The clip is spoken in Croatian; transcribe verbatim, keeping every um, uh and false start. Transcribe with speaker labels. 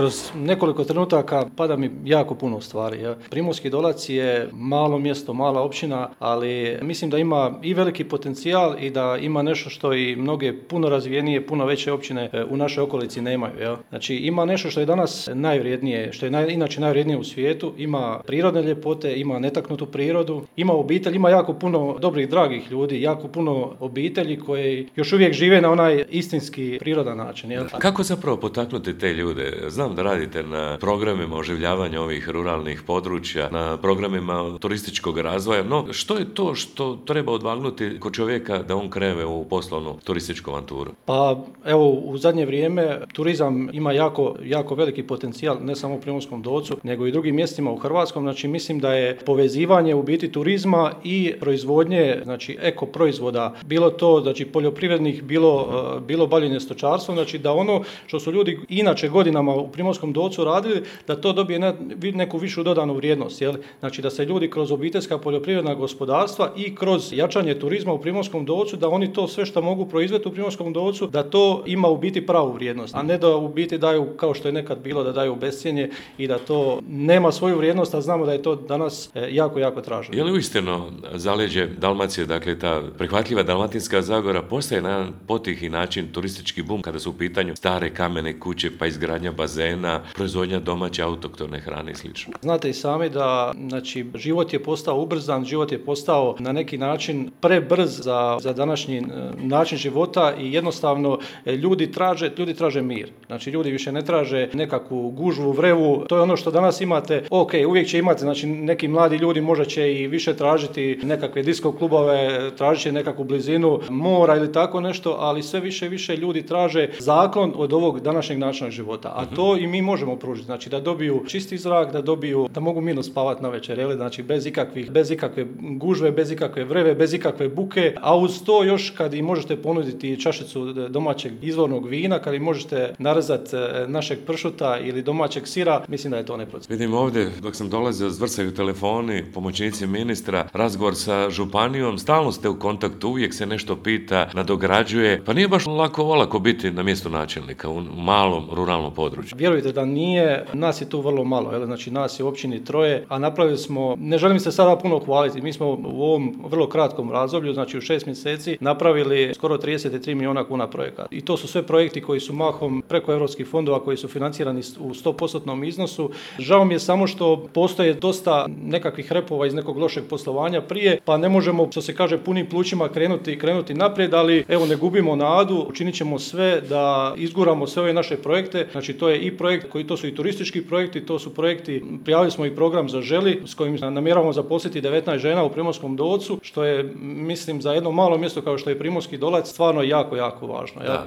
Speaker 1: kroz nekoliko trenutaka pada mi jako puno stvari. Ja. Primorski Dolac je malo mjesto, mala općina, ali mislim da ima i veliki potencijal i da ima nešto što i mnoge puno razvijenije, puno veće općine u našoj okolici nemaju. Ja. Znači ima nešto što je danas najvrijednije, što je naj, inače najvrijednije u svijetu, ima prirodne ljepote, ima netaknutu prirodu, ima obitelj, ima jako puno dobrih, dragih ljudi, jako puno obitelji koji još uvijek žive na onaj istinski prirodan način. Ja.
Speaker 2: Kako zapravo potaknuti te ljude? Znam da radite na programima oživljavanja ovih ruralnih područja, na programima turističkog razvoja, no što je to što treba odvagnuti kod čovjeka da on krene u poslovnu turističku avanturu?
Speaker 1: Pa evo, u zadnje vrijeme turizam ima jako, jako veliki potencijal, ne samo u Primorskom Dolcu, nego i drugim mjestima u Hrvatskom. Znači mislim da je povezivanje u biti turizma i proizvodnje, znači eko proizvoda, bilo to znači poljoprivrednih, bilo, bilo bavljenje stočarstvom, znači da ono što su ljudi inače godinama u Primorskom Dolcu radili, da to dobije ne, neku višu dodanu vrijednost. Jel? Znači da se ljudi kroz obiteljska poljoprivredna gospodarstva i kroz jačanje turizma u Primorskom Dolcu, da oni to sve što mogu proizvesti u Primorskom Dolcu, da to ima u biti pravu vrijednost, a ne da u biti daju, kao što je nekad bilo, da daju bescjenje i da to nema svoju vrijednost, a znamo da je to danas jako, jako traženo.
Speaker 2: Je li uistinu zaleđe Dalmacije, dakle ta prihvatljiva Dalmatinska Zagora, postaje na jedan potihi način turistički bum kada su u pitanju stare kamene kuće, pa izgradnja bazena, proizvodnja domaće autoktone hrane i slično?
Speaker 1: Znate i sami da znači, život je postao ubrzan, život je postao na neki način prebrz za, za današnji način života i jednostavno ljudi traže, ljudi traže mir. Znači ljudi više ne traže nekakvu gužvu, vrevu. To je ono što danas imate. Ok, uvijek će imati, znači neki mladi ljudi možda će i više tražiti nekakve disko klubove, tražit će nekakvu blizinu mora ili tako nešto, ali sve više i više ljudi traže zaklon od ovog današnjeg načina života. A to i mi možemo pružiti. Znači da dobiju čisti zrak, da dobiju, da mogu mirno spavati na večer, jel? Znači bez ikakvih, bez ikakve gužve, bez ikakve vreve, bez ikakve buke, a uz to još kad im možete ponuditi čašicu domaćeg izvornog vina, kad im možete narezati našeg pršuta ili domaćeg sira, mislim da je to neprocjenjivo.
Speaker 2: Vidim ovdje, dok sam dolazio, zvrcaju telefoni, pomoćnici ministra, razgovor sa županijom, stalno ste u kontaktu, uvijek se nešto pita, nadograđuje, pa nije baš lako olako biti na mjestu načelnika u malom ruralnom području.
Speaker 1: Vjerujte da nije, nas je tu vrlo malo, jel? Znači nas je u općini troje, a napravili smo, ne želim se sada puno hvaliti, mi smo u ovom vrlo kratkom razdoblju, znači u šest mjeseci, napravili skoro trideset tri milijuna kuna projekata. I to su sve projekti koji su mahom preko europskih fondova, koji su financirani u sto posto iznosu. Žao mi je samo što postoje dosta nekakvih repova iz nekog lošeg poslovanja prije, pa ne možemo, što se kaže, punim plućima krenuti, krenuti naprijed, ali evo ne gubimo nadu, učinit ćemo sve da izguramo sve ove naše projekte. Znači to je i projekt koji, to su i turistički projekti, to su projekti, prijavili smo i program Zaželi s kojim namjeravamo zaposliti devetnaest žena u Primorskom Dolcu, što je, mislim, za jedno malo mjesto kao što je Primorski Dolac stvarno jako, jako važno. Ja?